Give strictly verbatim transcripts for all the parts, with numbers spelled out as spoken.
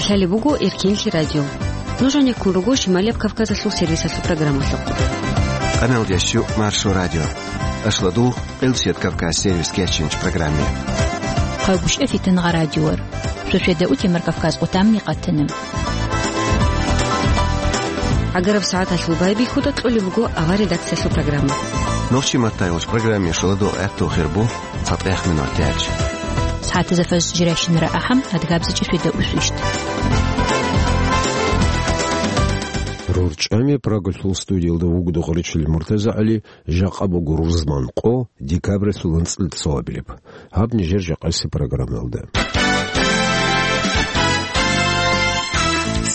Талеб буго Эркенлъи радио. Нуж гӀенеккун руго Шималияб Кавказалъул сервисалъул программалъухъ. Къаналдеш чу Маршо радио. Ашладу Къилсият Кавказ сервис кечинч программе. Хъагушев Фитангъа радиор. Шошеда утемар Кавказ къутамни къатана. ГӀагараб сагӀаталъул байбихьуда кьолеб буго авар редакциялъул программа. Нохчи маттайолч программе шоладо гӀатту хирбу. ЦатӀехъ минут тяч. СагӀатазда фаз жирайщинара ахӀам, адгабзичӀи шведа усвищ. РорчӀами Прагалъул студиялда вугода гъоричил МуртазагӀали, жакъа буго рузман къо, декабралъул анцӀил цоабилеб. Гьаб нижер жакъасеб программаялда.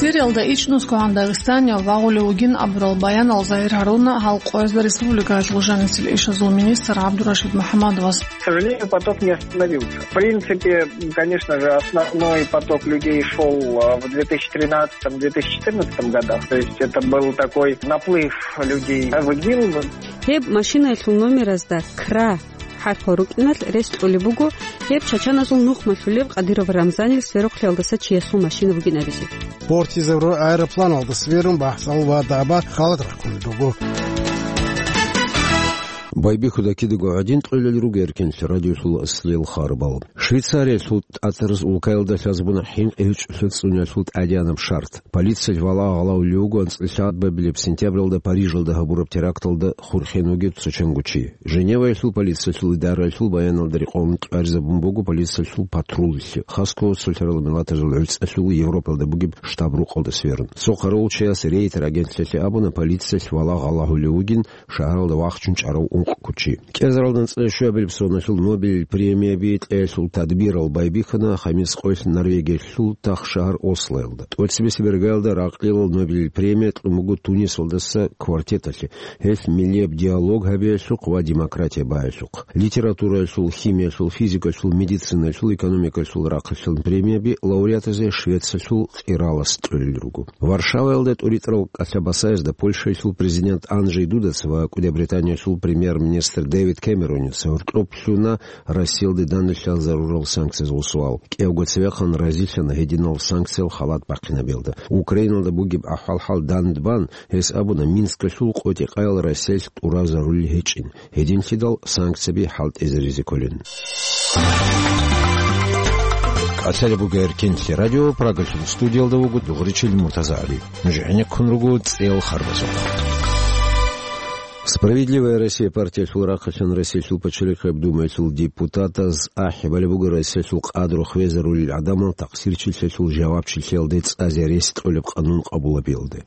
Сириялда ичӀнусго гьан Дагъистанияв вагъулев вугин абурал баянал Загьир Гьаруна гьал къоязда республикаялъул жанисел ишазул министр ГӀабдурашид МухӀаммадовас. К сожалению, поток не остановился. В принципе, конечно же, основной поток людей шёл, а, в две тысячи тринадцатом, две тысячи четырнадцатом годах. То есть это был такой наплыв людей в ИГИЛ. Гьеб машинаялъул номеразда К Р А хӀарпал рукӀиналъ рес кьолеб буго гьеб чачаназул нухмалъулеб Къадиров Рамзанил сверухълъиялдаса чиясул машина бугин абизе. Портизе ру-, аэропланалда сверун бахӀсал ва даба халат рахъун руго. Байбихьуда кидаго гӀадин тӀолел руго Эркенлъи радиолъул аслиял харбал. Швейцариялъул тӀатараз улкаялда лъазабуна хӀинкъи гьечӀолъа цӀунялъул тӀадегӀанаб шартӀ. Полициялъ валагь гъалавулев вуго анцӀила лъабабилеб сентябралда Парижалда гьабураб теракталда хурхен вугев цо чанго чи. Женеваялъул полициялъул идараялъул баяналда рекъон кьваризабун буго полициялъул патруллъи, хасго цолъарал миллатазул гӀуцӀалъул Европалда бугеб штаб-рукъалда сверун. Цо къарулчияс Рейтер агентлъиялъе абуна, полициялъ валагь гъалагьулев вугин шагьаралда вахчун чӀарав ункъго чи. КӀезаралда анцӀила щуабилеб соналъул Нобелил премияби кьеялъул тадбирал байбихьана хамис къоялъ Норвегиялъул тахшагьар Ослоялда. ТӀоцебесеб иргаялда ракълилал Нобелил премия кьун буго Тунисалдаса квартеталъе, гьелъ миллияб диалог гьабиялъухъ ва демократия багьиялъухъ. Литератураялъул, химиялъул, физикаялъул, медицинаялъул, экономикаялъул рахъалъан премияби лауреатазе Швециялъул къиралас кьолел руго. Варшаваялда тӀуритӀарал кӀалъа-басаязда Польшаялъул президент Анжей Дудаца ва КӀудияб Британиялъул премьер-министр Дэвид Кэмеронец гьоркьоб лъуна Россиялде данделъал зарурал санкциязул суал. КӀиявго цевехъан разилъана гьединал санкциял халат бахъинабиялда. Украиналда бугеб ахӀвал-хӀал данде бан, гьес абуна, Минскалъул къотӀи-къаял Россиялъ тӀуразарулел гьечӀин. Гьединлъидал санкцияби хӀалтӀизаризе кколин. КӀалъалеб буго Эркенлъи радио, Прагалъул студиялда вуго дугъричил МуртазагӀали. Нуж гӀенеккун руго цӀел харбазухъ. «Справедливая Россия» партиялъул рахъалъан Россиялъул пачалихъияб Думаялъул депутатаз ахӀи балеб буго Россиялъул къадру хвезарулел гӀадамал такъсирчилъиялъул жавабчилъиялде цӀазе рес кьолеб къанун къабулабиялде.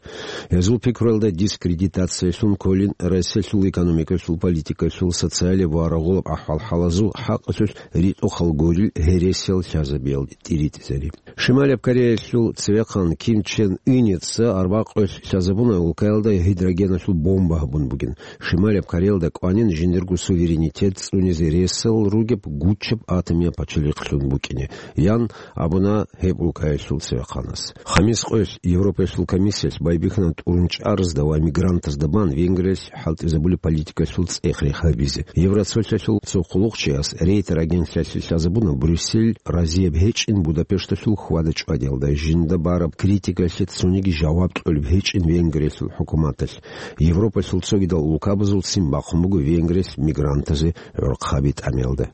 Гьезул пикруялда дискредитациялъун кколин Россиялъул экономикалъул, политикалъул, социалияб ва рагъулаб ахӀвал-хӀалазул хӀакъалъулъ ритӀухъал гурил гьересиял лъазабиялде тӀиритӀизари. Шималияб Кореялъул цевехъан Ким Чен Ыница арбакъоялъ лъазабуна улкаялда гидрогеналъул бомба гьабун бугин. Шималияб Кореялда кӀванин жиндирго суверенитет цӀунизе ресал ругеб гучаб атомияб пачалихълъун букӀине, ян абуна гьеб улкаялъул цевехъанас. Хамис къоялъ Европаялъул комиссиялъ байбихьана тӀурун чӀаразда ва мигрантазда бан Венгриялъ хӀалтӀизабулеб политикалъул цӀех-рех гьабизе. Евроцолъалъул цо хъулухъчияс Рейтер агентлъиялъе лъазабуна Брюссель разияб гьечӀин Будапешталъул хьвада-чӀвадиялда, жинда бараб критикалъе цониги жаваб кьолеб гьечӀин Венгриялъул хӀукуматалъ. Европалъул цогидал улкабазулцин бахъун буго Венгриялъ мигрантазе гӀорхъаби тӀамиялда.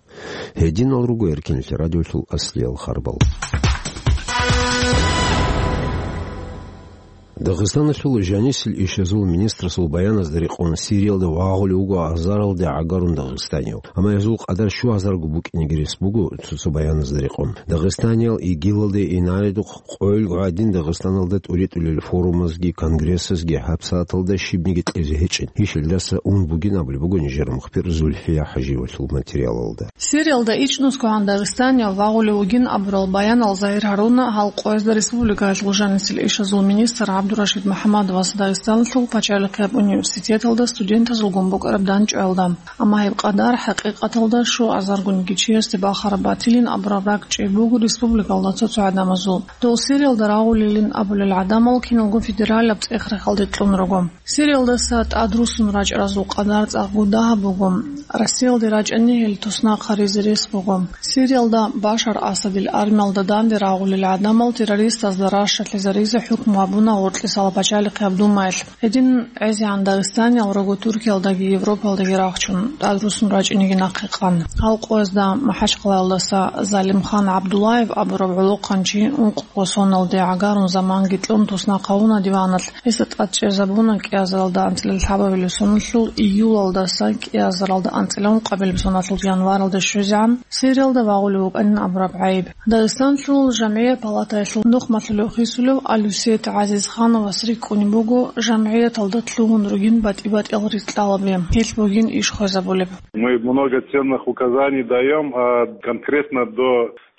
Гьединал руго Эркенлъи радиолъул аслиял харбал. Дагъистаналъул жанисел ишазул министрасул баяназда рекъон Сириялда вагъулев вуго азаралде гӀагарун дагъистанияв. Амма гьезул къадар щу азарго букӀинеги рес буго цо-цо баяназда рекъон. Дагъистаниял ИГИЛалде инайдухъ къойилго гӀадин Дагъистаналда тӀуритӀулел форумазги конгрессазги гьабсагӀаталда щибниги кьезе гьечӀин. Гьелдаса ун бугин абулеб буго нижер мухбир Зульфия ХӀажиевалъул материалалда. Сириялда ичӀнусгогӀан Дагъистанияв вагъулев вугин абурал баянал Загьир Гьаруна гьал къоязда республикаялъул жанисел ишазул министр ГӀабдурашид МухӀаммадовас Дагъистаналъул пачалихъияб университеталда студентазулгун букӀараб дандчӀваялда. Амма гьеб къадар хӀакъикъаталда щу азаргунги чиясде бахараб батилин абураб ракӀчӀей буго республикалда цо-цо гӀадамазул. Дол Сириялда рагъулилин абулел гӀадамал киналго федералаб цӀех-рехалде кьун руго. Сириялдаса тӀадрусун рачӀаразул къадар цӀакъго дагьаб буго. Россиялде рачӀани гьел туснахъ гьаризе рес буго. Сириялда Башар Асадил армиялда данде рагъулел гӀадамал террористазда ращалъизаризе хӀукму гьабуна гъоркьисала пачалихъияб Думаялъ. Гьедин гӀезегӀан дагъистаниял руго Туркиялдаги Европалдаги рахчун, тӀадрусун рачӀинеги нахъе къан. Гьал къоязда МахӀачхъалаялдаса Залимхан ГӀабдуллаев абураб гӀолохъанчи ункъго соналде гӀагарун заманги кьун туснахъ гьавуна диваналъ. Гьесда тӀад чӀезабуна кӀиазаралда анцӀила лъабабилеб соналъул июлалдаса кӀиазаралда анцӀила ункъабилеб соналъул январалда щвезегӀан Сириялда вагъулев вукӀанин абураб гӀайиб. Дагъистанлъул жамгӀият палатаялъул нухмалъулев хисулев Алюсет ГӀазизхановас рикӀкӀунеб буго жамгӀияталда лъугьун ругин батӀи-батӀиял рикьалаби, гьелъ бугин иш хвезабулеб. Мы много ценных указаний даём, а конкретно до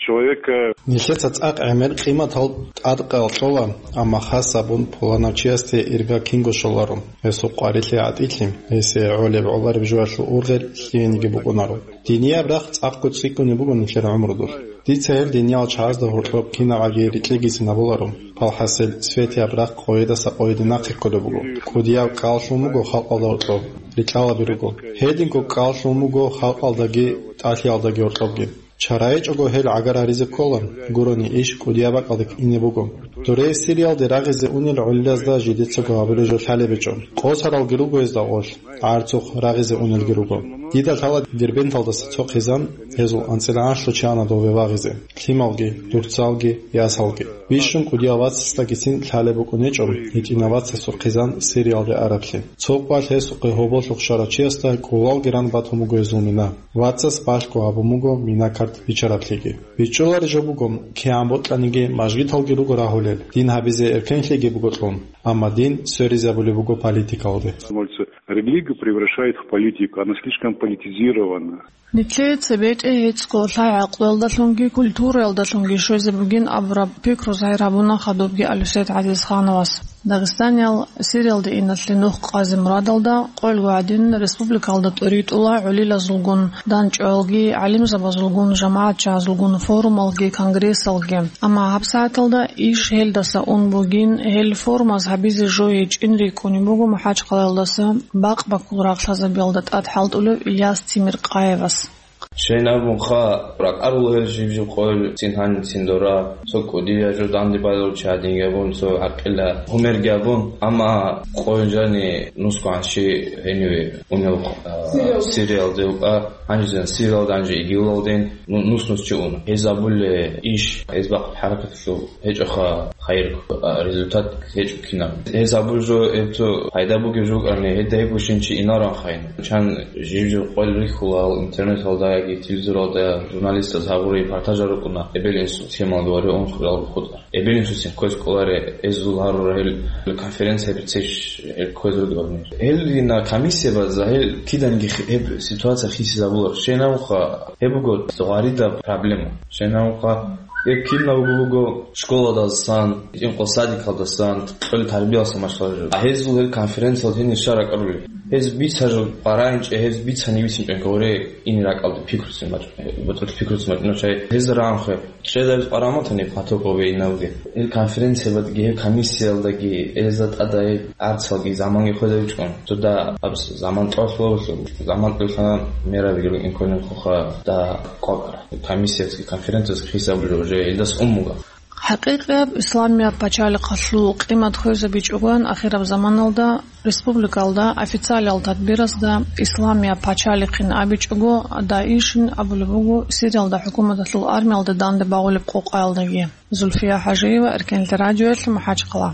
человека. Нилъеца цӀакъ гӀемер къиматал тӀадкъал кьола, амма хас абун пуланав чиясде ирга кинго щоларо. Гьесул къварилъи гӀатӀилъи, гьесие гӀолеб-гӀолареб жоялъул ургъел лъиениги букӀунаро. Динияб рахъ цӀакъго цӀикӀкӀунеб буго нилъер гӀумрудулъ. Дица гьел диниял чагӀазда гьоркьоб кинабгӀаги рикьигицин абуларо. Палхасел светияб рахъ къойидаса къойиде нахъе кколеб буго. КӀудияв кӀаллъун буго халкъалда гьоркьоб, рикьалаби руго. Гьединго кӀаллъун буго халкъалдаги тӀалъиялдаги гьоркьобги. Чара гьечӀого гьел гӀагар гьаризе ккола, гурони иш кӀудияб бакӀалде ине буго. Дуре Сириялде рагъизе унел гӀолилазда жидецаго гьабулеб жо лъалеб гьечӀо. Къосаралги руго гьезда гъолъ, гӀарцухъ рагъизе унелги руго. Дида лъала Дербенталдаса цо хъизан, гьезул анцӀила анлъго чи ана дове вагъизе, лъималги, дурцалги, ясалги. Бищун кӀудияв вацасдагицин лъалеб букӀун гьечӀо гьитӀинав вацасул хъизан Сириялде араблъи. Цо къвалъ гьесухъе гьоболлъухъ щварав чиясда кӀулалги ран батун буго гьезул мина. Вацас балъго гьабун буго мина карт биччараблъиги. БичӀчӀулареб жо буго, кигӀан бокьаниги мажгиталги руго рагьулел, дин гьабизе эркенлъиги буго кьун, амма дин сверизабулеб буго политикалде. Становится, религию превращает в политику, она слишком политизирована. Нилъее цебетӀе гьецӀго лъай-гӀакълуялдалъунги культураялдалъунги щвезе бугин абураб пикру загьир гьабуна хадубги Алюсет ГӀазизхановас. Дагъистаниял Сириялде иналъе нух къазе мурадалда, къойил гӀадин, республикалда тӀуритӀула гӀолилазулгун, дандчӀваялги, гӀалимзабазулгун, жамагӀатчагӀазулгун форумалги, конгрессалги. Амма гьабсагӀаталда иш гьелдаса ун бугин, гьел форумаз гьабизе жо гьечӀин рикӀкӀунеб буго МахӀачхъалаялдаса бакъ-баккул рахълъазабиялда тӀад хӀалтӀулев Ильяс Тимиркъаевас. Щайин абунха, ракӀарул гьел жиб-жиб къойил цин гьанив цин дора, цо кӀудияв жо данде балел чи гьадинги абун, цо гӀакъила гьумерги абун, амма къойил жани нусгоан чи гьениве унев, а, Сириялде вукӀа, гьанжезан Сириялда, гьанже ИГИЛалден ну-, нус-нус чи уна. Гьез абулеб иш, гьез бакъ хӀаракаталъул гьечӀоха хайир, а, результат гьечӀо кинаб. Гьез абулеб жо гьеб цо пайда бугеб жо букӀани, гьедин гьеб бищун чи инароан хайин. Чан жиб-жиб къойил рихьулал, интернеталда яги телевизоралда журналистаз гьабураб репортажал рукӀуна, эбел-инсул темалги вари ункъоялда хутӀа. Эбел-инсуцин кквез кӀоларе, гьезул гьарура гьел конференция бицеш, гьел кквез ругелни. Гьел дина комиссия база гьел киданги хи-, гьеб ситуация хисизабулар. Щайин абунха, гьеб буго гъваридаб проблема. Щайин абунха, гьеб кинабго буго школалдасан, инкъо садикалдасан, кьол тарбиялдасан машгьур. А гьезул гьел конференциялда гьенир щай ракӀарули? Гьез бицараб къваригӀинчӀеб, гьез бицани бицинчӀеб гъоре ине ракӀалде пикруцин мачӀ-, бутӀрулъ пикруцин мачӀунав чай. Гьез рагӀанхъе, чӀезабиз къваригӀун батани, потоковый инабги. Гьел конференциялдаги, гьел комиссиялдаги, гьезда тӀада гьел арцалги заманги хвезабичӀун. Цо да абс заман тӀолъулабулъул, заман тӀолъана мераби гьел инколин хуха да къвакӀара. Комиссияцги конференцияцги хисабулел уже гьелдас ун буго. ХӀакъикъияб исламияб пачалихъалъул къимат хвезабичӀогоян ахираб заманалда республикалда официалиял тадбирасда исламияб пачалихъин абичӀого, ДАИШ-ин абулеб буго Сириялда хӀукуматалъул армиялда данде багъулеб къокъаялдаги. Зульфия ХӀажиева, Эркенлъи радиоялъ, МахӀачхъала.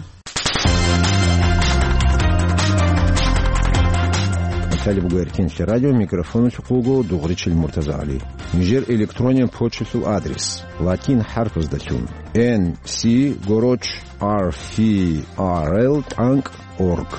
Кваталеб буго Эркенлъи радио, микрофоналъухъ вуго Дугъричил МуртазагӀали. Нижер электрониял почталъул адрес: латин хӀарпаздалъун, N C гороч R F R L тӀанкӀ org.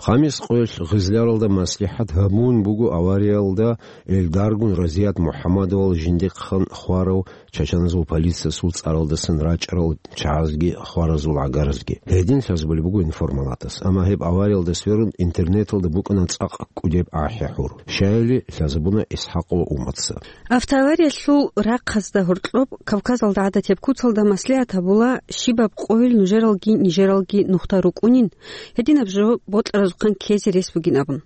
Хамис къоялъ Гъизляралда маслихӀат гьабун буго авариялда эльдаргун Разият МухӀаммадовал жиндихъан хварав чачаназул полициясул цӀаралдасан рачӀарал чагӀазги хваразул гӀагаразги. Гьедин лъазабулеб буго информалатас. Амма гьеб авариялда сверун интернеталда букӀана цӀакъ кӀудеб ахӀи-гӀур. Щаяли лъазабуна ИсхӀакъ ва умаца. Автоавариялъул рахъазда гьоркьоб Кавказалда гӀадатияб куцалда маслигӀат гьабула, щибаб къойил нужералги нижералги нухда рукӀунин, гьединаб жо бокьаразухъан ккезе рес бугин абун.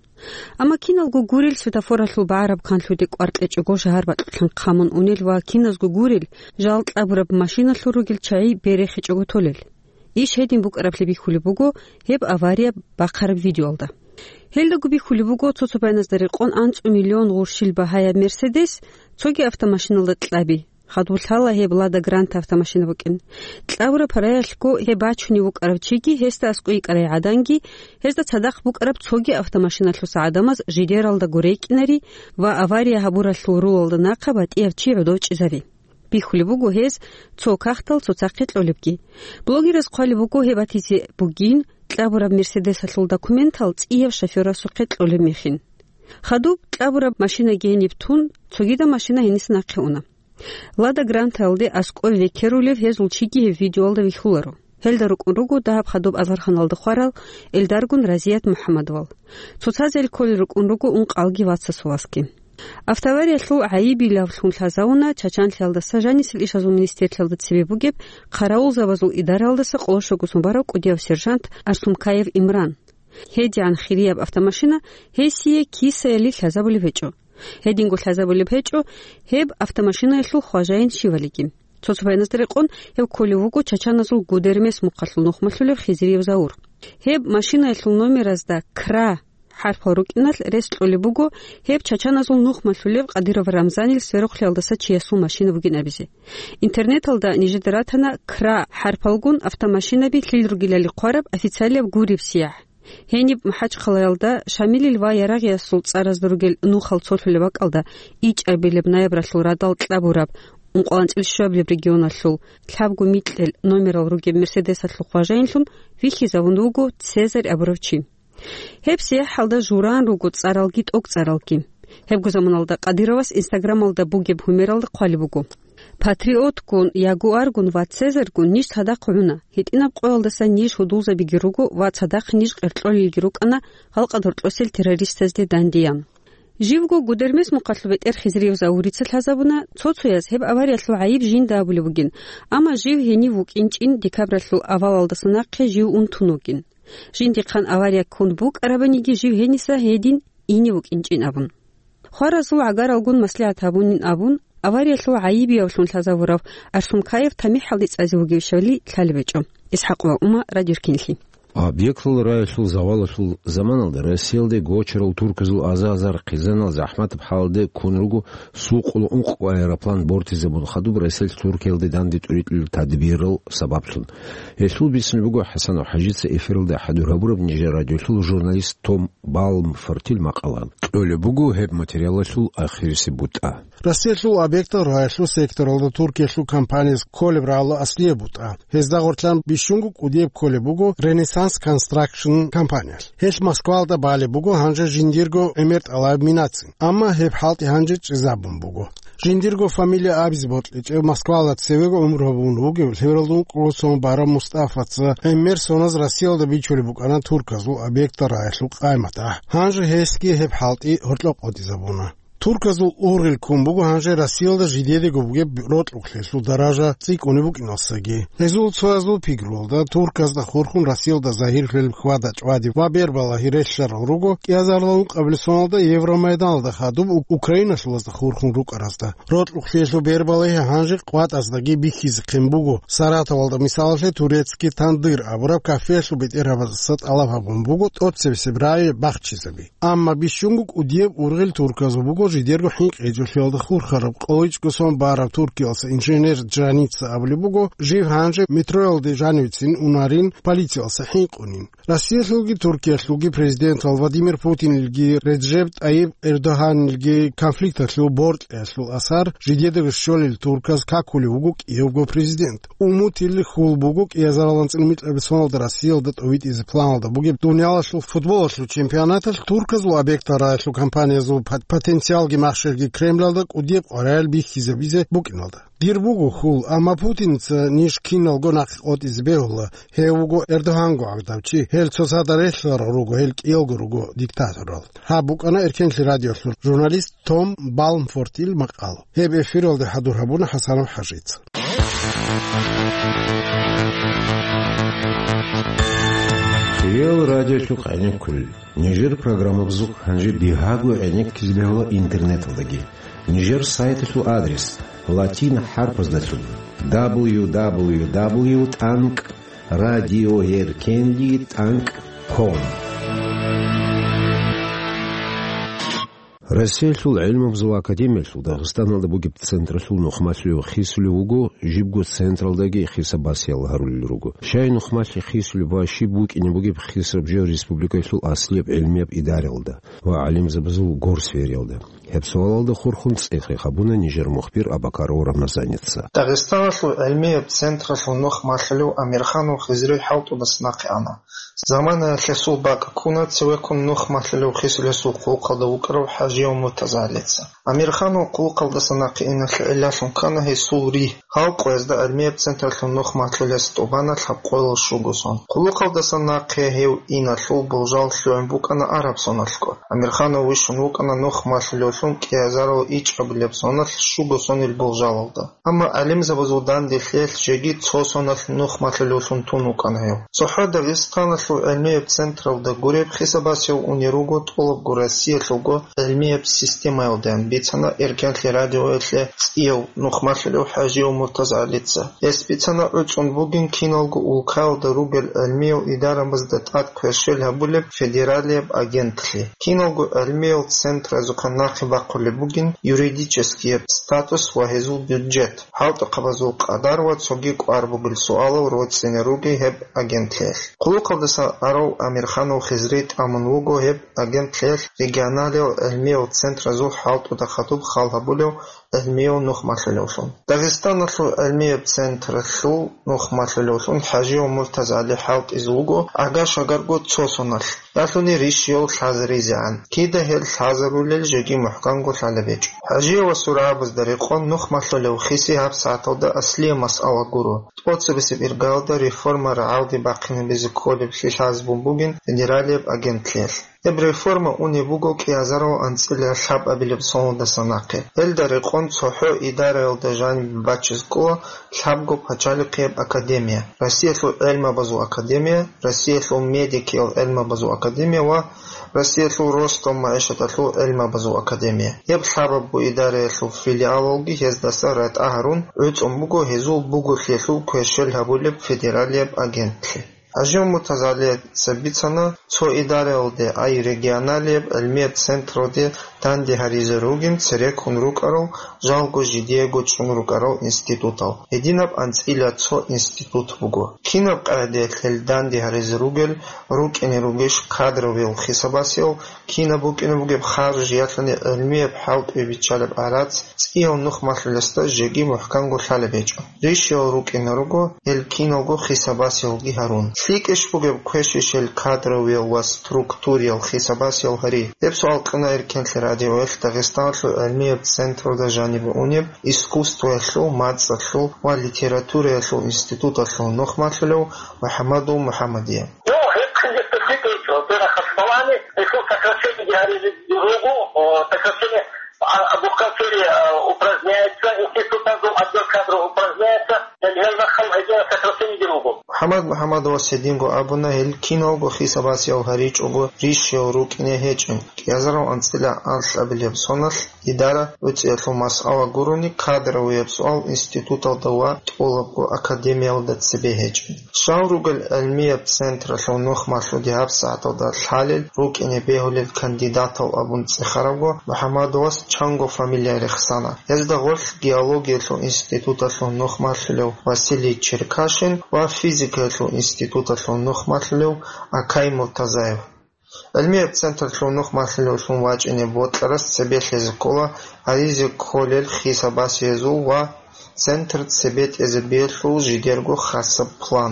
Амма киналго гурел светофоралъул багӀараб канлъуде кӀвар кьечӀого шагьар бакьулъан хъамун унел ва киназго гурел жал кьабураб машиналъур ругел чагӀи берехичӀого толел. Иш гьедин букӀараблъи бихьулеб буго гьеб авария бахъараб видеоялда. Гьелдаго бихьулеб буго цо-цо байназда рекъон анцӀу миллион гъурщил багьаяб Мерседес цоги автомашиналда кьаби, хадуб лъала гьеб Лада Гранта автомашина букӀин. Кьабураб параялъго гьеб бачунев вукӀарав чиги гьесда аскӀой йикӀарай гӀаданги, гьезда цадахъ букӀараб цоги автомашиналъуса гӀадамаз жидералдаго рекӀинари ва авария гьабуралъул рулалда нахъа батӀияб чи гӀодов чӀезари. Бихьулеб буго гьез цо кагътал цоцахъе кьолебги. Блогераз хъвалеб буго гьеб батизе бугин, кьабураб Мерседесалъул документал цӀияб шофёрасухъе кьолеб мехин. Хадуб кьабураб машинаги гьениб тун, цогидаб машина гьениса нахъе уна. Лада Грантаялде аскӀов векерулев гьезул чиги гьеб видеоялда вихьуларо. Гьелда рукӀун руго дагьаб хадуб азарханалда хварал эльдаргун Разият МухӀаммадовал. Цоцазел кколел рукӀун руго ункъалги вацасул васги. Автоавариялъул гӀайибилавлъун лъазавуна Чачанлъиялдаса жанисел ишазул министерлъиялда цебе бугеб хъаравулзабазул идараялдаса къоло щогосун барав кӀудияв сержант Арсумкаев Имран. ГьедигӀан хирияб автомашина гьесие кисаялъ лъазабулеб гьечӀо. Гьединго лъазабулеб гьечӀо гьеб автомашинаялъул хважаин щивалиги. Цо-цо байназда рекъон гьев кколев вуго чачаназул Гудермес мухъалъул нухмалъулев Хизриев Заур. Гьеб машинаялъул номеразда «Кра» хӀарпал рукӀиналъ рес кьолеб буго гьеб чачаназул нухмалъулев Къадиров Рамзанил сверухълъиялдаса чиясул машина бугин абизе. Интернеталда нижеда ратана «Кра» хӀарпалгун автомашинаби лъил ругелали хъвараб официалияб гуреб сиягӀ. Гьениб МахӀачхъалаялда Шамилил ва Ярагъиясул цӀаразда ругел нухал цолъулеб бакӀалда ичӀабилеб ноябралъул радал кьабураб ункъоялда анцӀила щуабилеб регионалъул лъабго микьил номерал ругеб Мерседесалъул хважаинлъун вихьизавун вуго Цезарь абурав чи. Гьеб сияхӀалда жураан руго цӀаралги тӀокӀцӀаралги. Гьебго заманалда Къадировас Инстаграмалда бугеб гьумералда хъвалеб буго: «Патриотгун, Ягуаргун ва Цезарьгун ниж цадахъ гӀуна, гьитӀинаб къоялдаса ниж гьудулзабиги руго ва цадахъ ниж къеркьолелги рукӀана гьалкъад гьоркьосел террористазде дандеян». Живго Гудермес мухъалъул бетӀер Хизриев Заурица лъазабуна, цо-цояз гьеб авариялъул гӀайиб жинда абулеб бугин, амма жив гьенив вукӀинчӀин, декабралъул авалалдаса нахъе жив унтун вукӀин. Жиндихъан авария ккун букӀарабаниги жив гьениса гьедин ине вукӀинчӀин абун. Хваразул гӀагаралгун маслигӀат гьабунин абун, авариялъул гӀайибиявлъун лъазавурав Арсумкаев тамихӀалде цӀазе вугевищали лъалеб гьечӀо. ИсхӀакъ ва Ума, Радио Ркинлъи. Объектлъул раялъул завалалъул заманалда Россиялде гочарал турказул аза-азар хъизанал захӀматаб хӀалде ккун руго сукъул ункъго аэроплан бортизабун хадуб Россиялъ Туркиялде данде тӀуритӀулел тадбирал сабаблъун. Гьелъул бицун буго ХӀасанов ХӀажица эфиралда хӀадур гьабураб нижер радиолъул журналист Том Балмфортил макъала. Кьолеб буго гьеб материалалъул ахирисеб бутӀа. Россиялъул объекттал раялъул секторалда Туркиялъул компанияс кколеб рагӀула аслияб бутӀа. Гьезда гъорлъан бищунго кӀудияб кколеб буго Renaissance Construction компаниялъ. Гьелъ Москвалда балеб буго гьанже жиндирго гӀемер тӀалаб минацин. Амма гьеб хӀалтӀи гьанже чӀезабун буго. Жиндирго фамилия абизе бокьичӀев Москвалда цевего гӀумру гьабун вугев лъебералда ункъго сон барав Мустафаца гӀемер соназ Россиялда бичулеб букӀана турказул объекттал раялъул къайи-матахӀ. Гьанже гьесги гьеб хӀалтӀи гьоркьоб къотӀизабуна. Турказул ургъел ккун буго гьанже Россиялда жидедаго бугеб рокьукълъиялъул даража цӀикӀкӀунеб букӀиналдасаги. Гьезул цоязул пикруялда, турказда хурхун Россиялда загьирлъулеб хьвада-чӀвади ва бербалагьи релълъарал руго кӀиазарилан ункъабилеб соналда Евромайданалда хадуб У-, Украиналъулазда хурхун рукӀаразда. Рокьукълъиялъул бербалагьи гьанже къватӀаздаги бихьизехъин буго. Саратовалда, мисалалъе, «Турецкий тандыр» абураб кафеялъул бетӀергьабаздаса тӀалаб гьабун буго тӀоцебесеб рагӀи бахчизаби. Амма бищунго кӀудияб ургъел турказул буго жидерго хӀинкъи гьечӀолъиялда хурхараб, къоло ичӀго сон бараб Туркиялъа инженер Джаница абулеб буго, жив гьанже метроялде жанивецин унарин, полициялъа хӀинкъунин. Россиялъулги Туркиялъулги президентал Владимир Путинилги Реджеп Тайип Эрдогьанилги конфликталъул боркьаялъул асар жидедаго щолел турказ какулев вуго кӀиявго президент. Умутил хьул буго кӀиазарал анцӀил микьабилеб соналда Россиялда тӀовитӀизе планалда бугеб дуниялалъул футболалъул чемпионаталъ турказул объектал рагӀалъул компаниязул пот-, потенциалги махщелги Кремлалда кӀудияб къваригӀел бихьизабизе букӀиналда. Дир буго хьул, амма Путинца ниж киналго нахъе къотӀизе бегьула, гьев вуго Эрдогьанго гӀадав чи, гьел цоцазда релълъарал руго, гьел кӀиялго руго диктаторал. Гьаб букӀана Эркенлъи радиолъул журналист Том Балмфортил макъал. Гьеб эфиралде хӀадур гьабуна ХӀасанов ХӀажица. Кьел радиолъухъ гӀенеккулел. Нижер программабазухъ гьанже бигьаго гӀенеккизе бегьула интернеталдаги. Нижер сайталъул адрес латин хӀарпаздалъун: дабл ю дабл ю дабл ю тӀанкӀ радиоэркенлъи тӀанкӀ ком. Россиялъул гӀелмабазул академиялъул Дагъистаналда бугеб централъул нухмалъулев хисулев вуго жибго централдаги хисабасиял гьарулел руго. Щай нухмалъи хисулеб ва щиб букӀине бугеб хисаб жо республикаялъул аслияб гӀелмияб идараялда ва гӀалимзабазул горсфериялда? Гьеб суалалда хурхун цӀехе гьабуна нижер мухбир Абакаров Рамазаница. Дагъистаналъул гӀелмияб централъул нухмалъулев Амирханов Хизри хӀалтӀудаса нахъе ана. Заманаялъ гьесул бакӀ ккуна цевеккун нухмалъулев хисулесул хъулухъалда вукӀарав ХӀажияв МуртазагӀалица. Амирханов хъулухъалдаса нахъе иналъе гӀиллалъун ккана гьесул ригь, гьал къоязда гӀелмияб централъул нухмалъулес тӀубана лъабкъоялда щуго сон. Хъулухъалдаса нахъе гьев иналъул болжал лъугӀун букӀана араб соналъго. Амирханов вищун вукӀана нухмалъулевлъун кӀиазарал ичӀабилеб соналъ щуго сонил болжалалда. Амма гӀалимзабазул данделъиялъ жеги цо соналъ нухмалъулевлъун тун вукӀана гьев. ЦохӀо Дагъистаналъул гӀелмияб централда гуреб хисабасев унел руго тӀолабго Россиялъулго гӀелмияб системаялдаян, бицана Эркенлъи радиоялъе цӀияв нухмалъулев ХӀажияв МуртазагӀалица. Гьес бицана гӀуцӀун бугин киналго улкаялда ругел гӀелмиял идарабазда тӀад кверщел гьабулеб федералияб агентлъи. Киналго гӀелмиял центразухъан нахъе бахъулеб бугин юридическияб статус ва гьезул бюджет, хӀалтӀухъабазул къадар ва цоги кӀвар бугел суалал роцӀцӀине ругел гьеб агентлъиялъ. Хъулухъалдаса арав Амирханов Хизри тӀамун вуго гьеб агентлъиялъ регионалиял гӀелмиял центразул хӀалтӀуда хадуб хал гьабулев гӀелмияв нухмалъулевлъун. Дагъистаналъул гӀелмияб централъул нухмалъулевлъун ХӀажияв МуртазагӀали хӀалтӀизе вуго ага-шагарго цо соналъ, ялъуни рищиялъ лъазаризегӀан. Кида гьел лъазарулел жеги мухӀканго лъалеб гьечӀо. ХӀажияв ва сургӀабазда рекъон нухмалъулев хиси гьаб сагӀаталда аслияб масъала гуро. ТӀоцебесеб иргаялда реформа рагӀалде бахъинабизе кколеблъи лъазабун бугин федералияб агентлъиялъ. Гьеб реформа унеб буго кӀиазарал анцӀила лъабабилеб соналдаса нахъе. Гьелда рекъон цохӀо идараялда жанибе бачиз ккола лъабго пачалихъияб академия: Россиялъул гӀелмабазул академия, Россиялъул медикиял гӀелмабазул академия ва Россиялъул ростов магӀишаталъул гӀелмабазул академия. Гьеб лъабабго идараялъул филиалалги гьездаса ратӀа гьарун гӀуцӀун буго гьезул буголъиялъул кверщел гьабулеб федералияб агентлъи. ХӀажияв МуртазагӀалица бицана, цо идараялде, ай регионалияб гӀелмияб централде данде гьаризе ругин цереккун рукӀарал, жалго жидеего чӀун рукӀарал институтал, гьединаб анцӀила цо институт буго. Кинаб къагӀидаялъ гьел данде гьаризе ругел, рукӀине ругищ кадровиял хисабасиял, кинаб букӀине бугеб харж, ялъуни гӀелмияб хӀалтӀуе биччалеб гӀарац цӀияв нухмалъулесда жеги мухӀканго лъалеб гьечӀо. Рищиялъ рукӀине руго гьел киналго хисабасиялги гьарун. ЛъикӀищ бугеб квешищ гьел кадровиял ва структуриял хисабасиял гьари? Гьеб суал кьуна Эркенлъи радиоялъ Дагъистаналъул гӀелмияб централда жанибе унеб искусствоялъул, мацӀалъул ва литератураялъул институталъул нухмалъулев МухӀаммадул МухӀаммадие. Ну, гьеб хъизехъе лъикӀ гьечӀо, бера хасбалани, гьелъул сокращениеги гьаризе руго, о, сокращение а, бухгалтерия, а, упраздняется, институтазул отдел кадров упраздняется. Гьел рахъал гьединал сокращениеги руго. МухӀаммад МухӀаммадовас гьединго абуна, гьел киналго хисабасияв гьаричӀого рищаяв рукӀине гьечӀин. КӀиазарав анцӀила анлъабилеб соналъ идара уцӀиялъул масъала гурони, кадровияб суал институталда ва тӀолабго академиялда цебе гьечӀин. Щал ругел гӀилмияб централъул нух малъуди гьабсагӀаталда лъалел рукӀине бегьулел кандидатал абун цӀехарабго, МухӀаммадовас чанго фамилия рехсана. Гьезда гъорлъ геологиялъул институталъул нух малъулев Василий Черкашин ва физикаялъул институталъул нух малъулев Акай Муртазаев. ГӀилмияб централъул нух малъулевлъун вачӀине бокьарас цебе лъезе ккола гьаризе кколел хисабасиязул ва центр цебетӀезе биялъул жидерго хасаб план.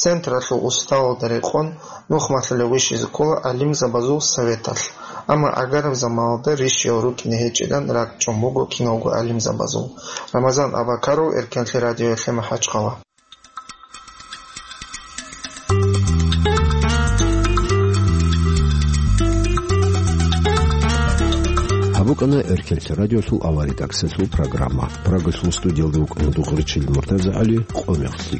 Централъул уставалда рекъон нух малъулев вищизе ккола гӀалимзабазул советалъ, амма гӀагараб заманалда рищаяв рукӀине гьечӀилан ракӀчӀун буго киналго гӀалимзабазул. Рамазан Абакаров, Эркенлъи радиоялъе МахӀачхъала. Гьаб букӀана Эркенлъи радиолъул авария тӀакӀсалъул программа. Прагалъул студиялда вукӀана Дугъричил МуртазагӀали, къо мехлъи.